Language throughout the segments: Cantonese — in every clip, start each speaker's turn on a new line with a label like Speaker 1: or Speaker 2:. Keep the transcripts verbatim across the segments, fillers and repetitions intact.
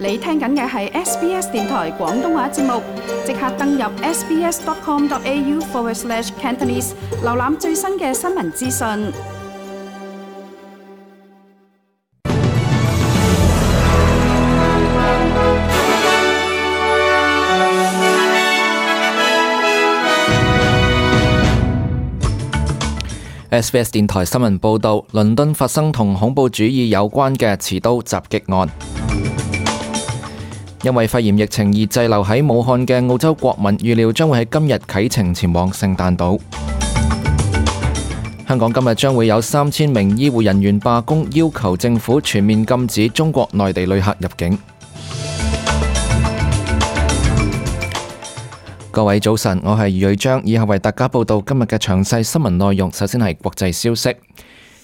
Speaker 1: 你聽緊嘅係 S B S 電台廣東話節目，即刻登入 sbs.com.au forward slash Cantonese， 瀏覽最新嘅新聞資訊。
Speaker 2: S B S 電台新聞報道，倫敦發生同恐怖主義有關嘅持刀襲擊案。因為肺炎疫情而滯留喺武漢嘅澳洲國民，預料將會喺今日啟程前往聖誕島。香港今日將會有三千名醫護人員罷工，要求政府全面禁止中國內地旅客入境。各位早晨，我係余瑞章，以下為大家報道今日嘅詳細新聞內容。首先係國際消息。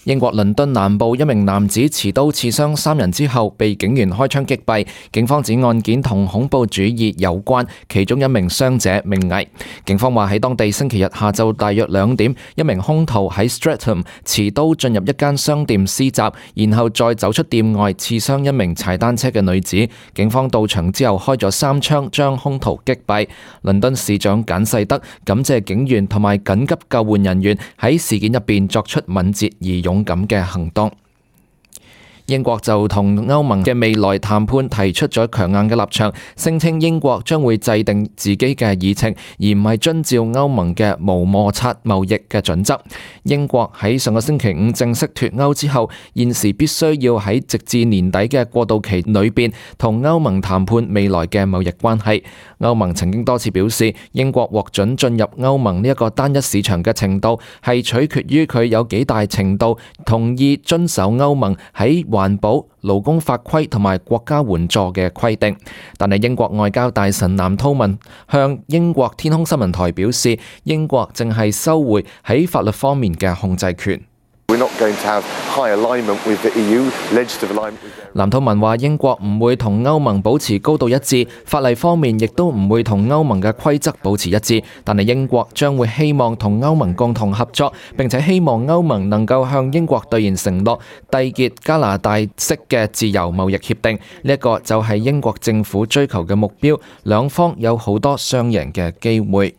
Speaker 2: 英國倫敦南部一名男子持刀刺傷三人之後被警員開槍擊斃，警方指案件同恐怖主義有關，其中一名傷者命危。警方話喺當地星期日下晝大約兩點，一名兇徒喺 Streatham 持刀進入一間商店施襲，然後再走出店外刺傷一名踩單車嘅女子。警方到場之後開咗三槍將兇徒擊斃。倫敦市長簡世德感謝警員同埋緊急救援人員喺事件入邊作出敏捷而勇敢嘅行動。英國就同歐盟嘅未來談判提出咗強硬嘅立場，聲稱英國將會制定自己嘅議程，而唔係遵照歐盟嘅無摩擦貿易嘅準則。英國喺上個星期五正式脫歐之後，現時必須要喺直至年底嘅過渡期裏邊同歐盟談判未來嘅貿易關係。歐盟曾經多次表示，英國獲准進入歐盟呢一個單一市場嘅程度係取決於佢有幾大程度同意遵守歐盟喺環保、勞工法規同埋國家援助嘅規定。但係英國外交大臣藍韜文向英國天空新聞台表示，英國正係收回喺法律方面嘅控制權。藍韜文話，英國唔會同歐盟保持高度一致，法例方面亦都唔會同歐盟嘅規則保持一致，但係英國將會希望同歐盟共同合作，並且希望歐盟能夠向英國兌現承諾，締結加拿大式嘅自由貿易協定。呢一個就係英國政府追求嘅目標，兩方有好多雙贏嘅機會。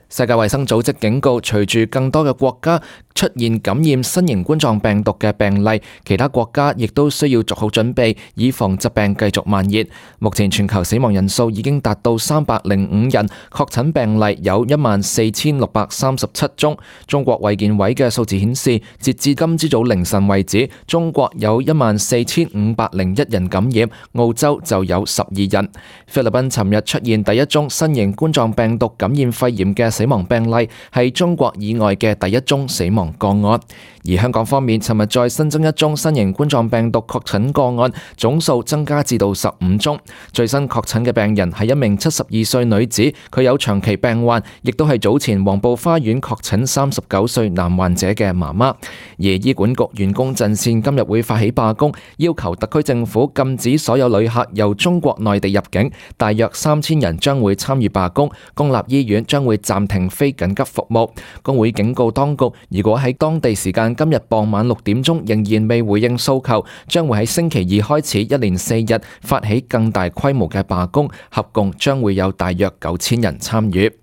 Speaker 2: 世界衛生組織警告，隨住更多嘅國家出現感染新型冠狀病毒嘅病例，其他國家亦都需要做好準備，以防疾病繼續蔓延。目前全球死亡人數已經達到三百零五人，確診病例有一萬四千六百三十七宗。中國衛健委嘅數字顯示，截至今朝早凌晨為止，中國有一萬四千五百零一人感染，澳洲就有十二人。菲律賓尋日出現第一宗新型冠狀病毒感染肺炎嘅死亡病例，係中國以外嘅第一宗死亡個案。而香港方面，尋日再新增一宗新型冠狀病毒確診個案，總數增加至到十五宗。最新確診嘅病人係一名七十二歲女子，佢有長期病患，亦都係早前黃埔花園確診三十九歲男患者嘅媽媽。而醫管局員工陣線今日會發起罷工，要求特區政府禁止所有旅客由中國內地入境，大約三千人將會參與罷工，公立醫院將會暫停非緊急服務。工會警告當局，如果喺當地時間今日傍晚六點鐘仍然未回應訴求，將會喺星期二開始一連四日發起更大規模嘅罷工，合共將會有大約九千人參與。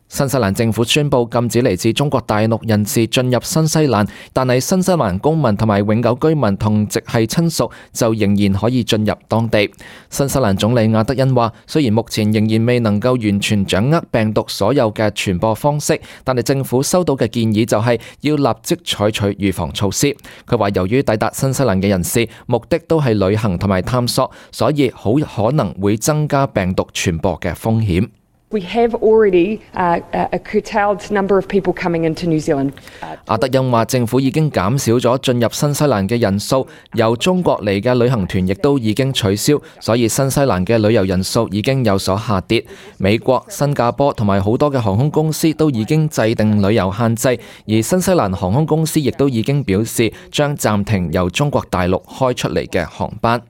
Speaker 2: 新西蘭政府宣布禁止嚟自中國大陸人士進入新西蘭，但係新西蘭公民同埋永久居民同直系親屬就仍然可以進入當地。新西蘭總理亞德恩話，雖然目前仍然未能夠完全掌握病毒所有嘅傳播方式，但係政府收到嘅建議就係要立即採取預防措施。佢話由於抵達新西蘭嘅人士目的都係旅行同埋探索，所以好可能會增加病毒傳播嘅風險。
Speaker 3: We have already uh, a curtailed number of people coming into New Zealand.
Speaker 2: 阿德恩話，政府已經減少咗進入新西蘭嘅人數，由中國嚟嘅旅行團亦都已經取消，所以新西蘭嘅旅遊人數已經有所下跌。美國、新加坡同埋好多嘅航空公司都已經制定旅遊限制，而新西蘭航空公司亦都已經表示將暫停由中國大陸開出嚟嘅航班。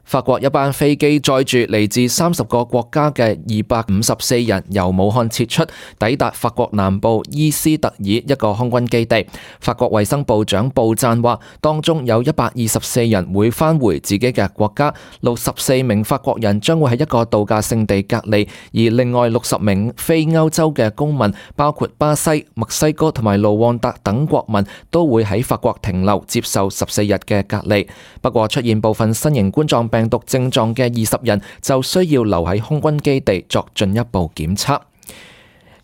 Speaker 2: 法國一班飛機載住嚟自三十個國家嘅二百五十四人由武漢撤出，抵達法國南部伊斯特爾一個空軍基地。法國衛生部長布贊話，當中有一百二十四人會返回自己嘅國家，六十四名法國人將會喺一個度假勝地隔離，而另外六十名非歐洲嘅公民，包括巴西、墨西哥同埋盧旺達等國民，都會喺法國停留接受十四日嘅隔離。不過出現部分新型冠狀病毒症狀嘅二十人就需要留喺空軍基地作進一步檢測。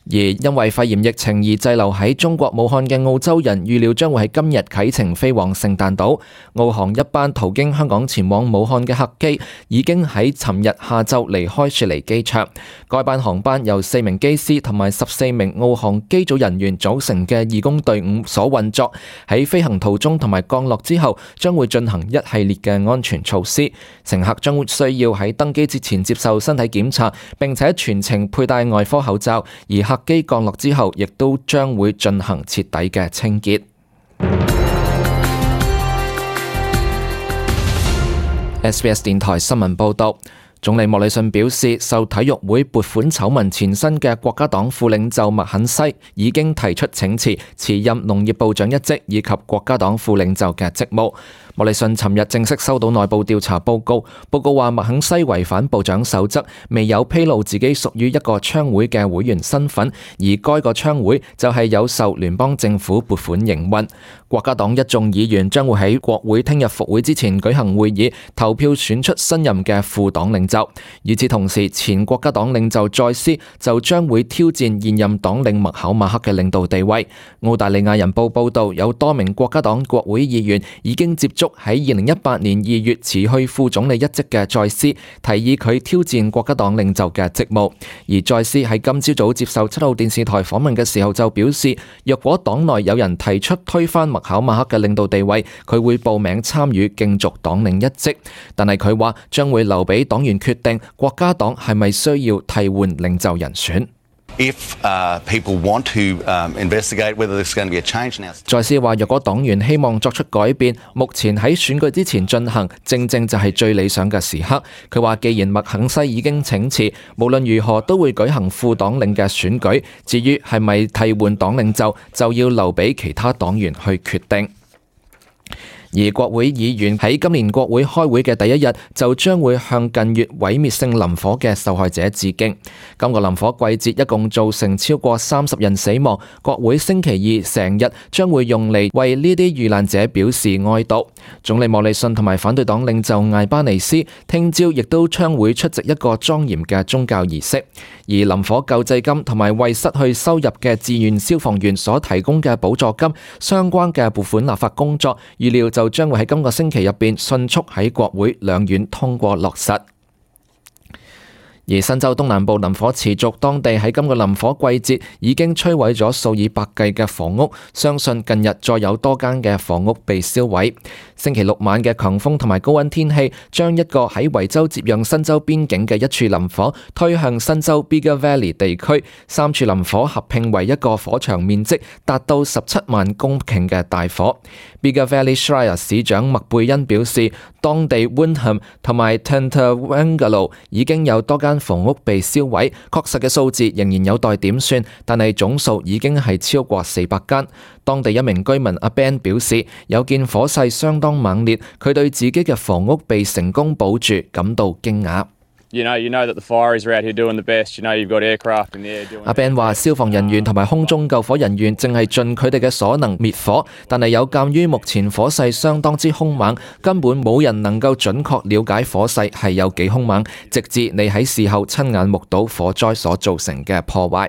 Speaker 2: 而因為肺炎疫情而滯留喺中國武漢嘅澳洲人，預料將會喺今日啟程飛往聖誕島。澳航一班途經香港前往武漢嘅客機已經喺尋日下晝離開雪梨機場。該班航班由四名機師同埋十四名澳航機組人員組成嘅義工隊伍所運作。喺飛行途中同埋降落之後，將會進行一系列嘅安全措施。乘客將會需要喺登機之前接受身體檢查，並且全程佩戴外科口罩。而客機降落之後，亦都將會進行徹底嘅清潔。S B S 電台新聞報道。總理莫里遜表示，受體育會撥款醜聞纏身嘅國家黨副領袖麥肯西已經提出請辭，辭任農業部長一職以及國家黨副領袖嘅職務。莫里遜尋日正式收到內部調查報告，報告話麥肯西違反部長守則，未有披露自己屬於一個槍會嘅會員身份，而該個槍會就係有受聯邦政府撥款營運。國家黨一眾議員將會喺國會聽日復會之前舉行會議，投票選出新任嘅副黨領袖。與此同時，前國家黨領袖再斯就將會挑戰現任黨領麥考馬克嘅領導地位。澳大利亞人報報道，有多名國家黨國會議員已經接觸喺二零一八年二月辭去副總理一職嘅再斯，提議佢挑戰國家黨領袖嘅職務。而再斯喺今朝早接受七號電視台訪問嘅時候就表示，若果黨內有人提出推翻麥考馬克嘅領導地位，佢會報名參與競逐黨領一職。但係佢話將會留俾黨員決定國家黨係咪需要替換領袖人選。
Speaker 4: If, uh, people want to, um, investigate whether there's going to be a change now.
Speaker 2: 再斯話，若果黨員希望作出改變，目前喺選舉之前進行，正正就係最理想嘅時刻。佢話，既然麥肯西已經請辭，無論如何都會舉行副黨領嘅選舉。至於係咪替換黨領袖，就要留俾其他黨員去決定。而國會議員喺今年國會開會嘅第一日，就將會向近月毀滅性林火嘅受害者致敬。今個林火季節一共造成超過三十人死亡，國會星期二成日將會用嚟為呢啲遇難者表示哀悼。總理莫里遜同埋反對黨領袖艾巴尼斯聽朝亦都將會出席一個莊嚴嘅宗教儀式。而林火救濟金同埋為失去收入嘅志願消防員所提供嘅補助金相關嘅撥款立法工作，預料就將會喺今個星期入邊迅速喺國會兩院通過落實。而新州東南部林火持續，當地喺今個林火季節已經摧毀咗數以百計嘅房屋，相信近日再有多間嘅房屋被燒毀。星期六晚嘅強風同埋高溫天氣，將一個喺維州接壤新州邊境嘅一處林火推向新州 Bigger Valley 地區，三處林火合併為一個火場面積達到十七萬公頃嘅大火。Bigger Valley Shire 市長麥貝恩表示，當地 Windham 同埋 Tantawangalo 已經有多間房屋被燒毀，確實嘅數字仍然有待點算，但係總數已經係超過四百間。當地一名居民阿 Ben 表示，有見火勢相當猛烈，佢對自己嘅房屋被成功保住感到驚訝。
Speaker 5: You know, you know that the fireys are out here doing the best. You know, you've got aircraft in the air doing.
Speaker 2: 阿 Ben 話，消防人員同埋空中救火人員正係盡佢哋嘅所能滅火，但係有鑑於目前火勢相當之兇猛，根本冇人能夠準確了解火勢係有幾兇猛，直至你喺事後親眼目睹火災所造成嘅破壞。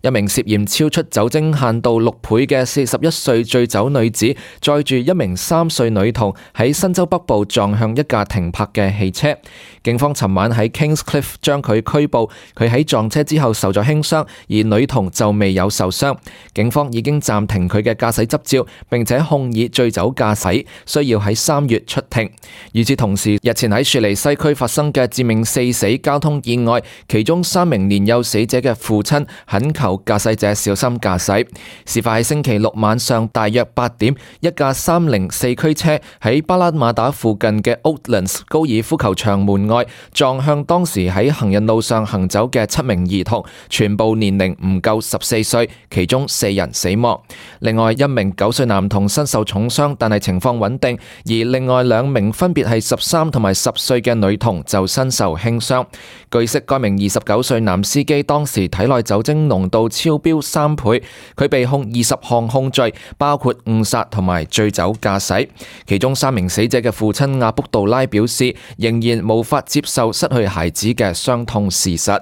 Speaker 2: 一名涉嫌超出酒精限度六倍嘅四十一歲醉酒女子，載住一名三歲女童喺新州北部撞向一架停泊嘅汽車。警方尋晚喺 Kingscliff 將佢拘捕，佢喺撞車之後受咗輕傷，而女童就未有受傷。警方已經暫停佢嘅駕駛執照，並且控以醉酒駕駛，需要喺三月出庭。與此同時，日前喺雪梨西區發生嘅致命四死交通意外，其中三名年幼死者嘅父親懇求有駕駛者小心駕駛。事發喺星期六晚上大約八點，一架三菱四驅車喺巴拉馬達附近嘅 Oatlands 高爾夫球場門外撞向當時喺行人路上行走嘅七名兒童，全部年齡唔夠十四歲，其中四人死亡。另外一名九歲男童身受重傷，但係情況穩定，而另外兩名分別係十三同埋十歲嘅女童就身受輕傷。據悉，該名二十九歲男司機當時體內酒精濃度超標三倍，佢被控二十項控罪，包括誤殺同埋醉酒駕駛。其中三名死者嘅父親阿卜杜拉表示，仍然無法接受失去孩子嘅傷痛事實。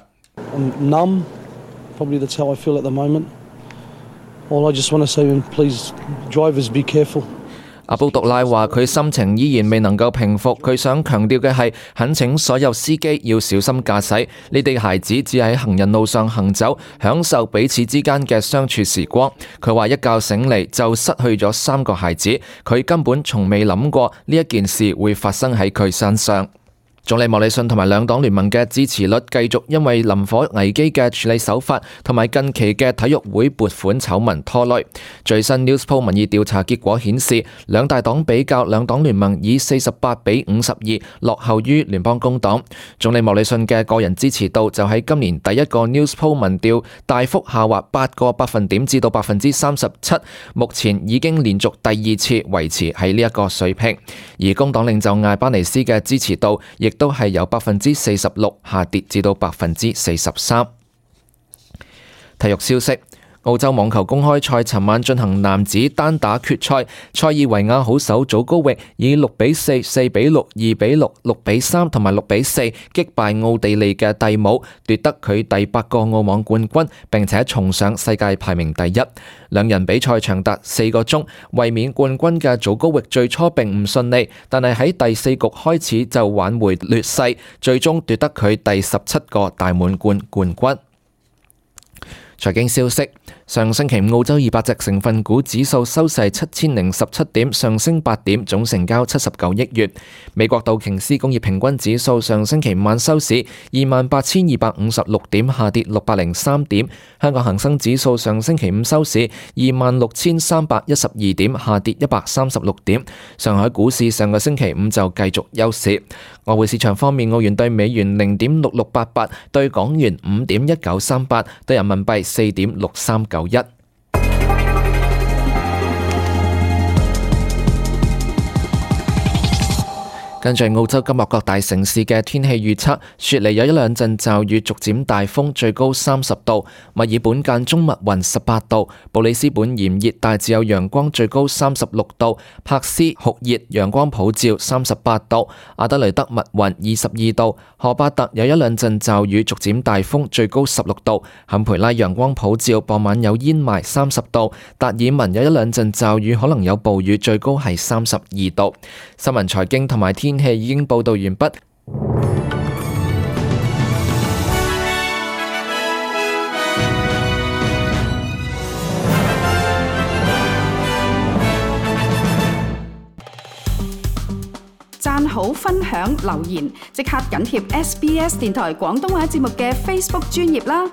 Speaker 6: I'm numb. Probably that's how I feel at the moment. All I just want to say, please, drivers be careful.
Speaker 2: 阿卜杜拉話佢心情依然未能夠平復，佢想強調嘅係懇請所有司機要小心駕駛，你哋孩子只喺行人路上行走，享受彼此之間嘅相處時光。佢話一覺醒嚟就失去咗三個孩子，佢根本從未諗過呢一件事會發生喺佢身上。總理莫里遜同埋兩黨聯盟嘅支持率繼續因為林火危機嘅處理手法同埋近期嘅體育會撥款醜聞拖累。最新 Newspoll 民意調查結果顯示，兩大黨比較，兩黨聯盟以四十八比五十二落後於聯邦工黨。總理莫里遜嘅個人支持度就喺今年第一個 Newspoll 民調大幅下滑八個百分點至到百分之三十七，目前已經連續第二次維持喺呢一個水平。而工黨領袖艾巴尼斯嘅支持度亦都係由百分之四十六下跌至到百分之四十三。體育消息。澳洲網球公開賽尋晚進行男子單打決賽，塞爾維亞好手祖高域以六比四、四比六、二比六、六比三同埋六比四擊敗奧地利嘅蒂姆，奪得佢第八個澳網冠軍，並且重上世界排名第一。兩人比賽長達四個鐘，衛冕冠軍嘅祖高域最初並唔順利，但係喺第四局開始就挽回劣勢，最終奪得佢第十七個大滿貫冠軍。財經消息。上星期五澳洲二百隻成分股指數收市七千零十七點，上升八點，總成交七十九億元。美國道瓊斯工業平均指數上星期五晚收市二萬八千二百五十六點，下跌六百零三點。香港恒生指數上星期五收市二萬六千三百一十二點，下跌一百三十六點。上海股市上個星期五就繼續休市。外匯市場方面，澳元對美元零點六六八八，對港元五點一九三八，對人民幣四點六三九一。跟住澳洲今日各大城市嘅天氣預測，雪梨有一兩陣驟雨，逐漸大風，最高三十度；墨爾本間中密雲十八度；布里斯本炎熱，大致有陽光，最高三十六度；珀斯酷熱，陽光普照，三十八度；阿德雷德密雲二十二度；荷巴特有一兩陣驟雨，逐漸大風，最高十六度；坎培拉陽光普照，傍晚有煙霾，三十度；達爾文有一兩陣驟雨，可能有暴雨，最高係三十二度。新聞財經同埋天氣已經報道完畢。
Speaker 1: 讚好、分享、留言，即刻緊貼 S B S 電台廣東話節目嘅 Facebook 專頁啦！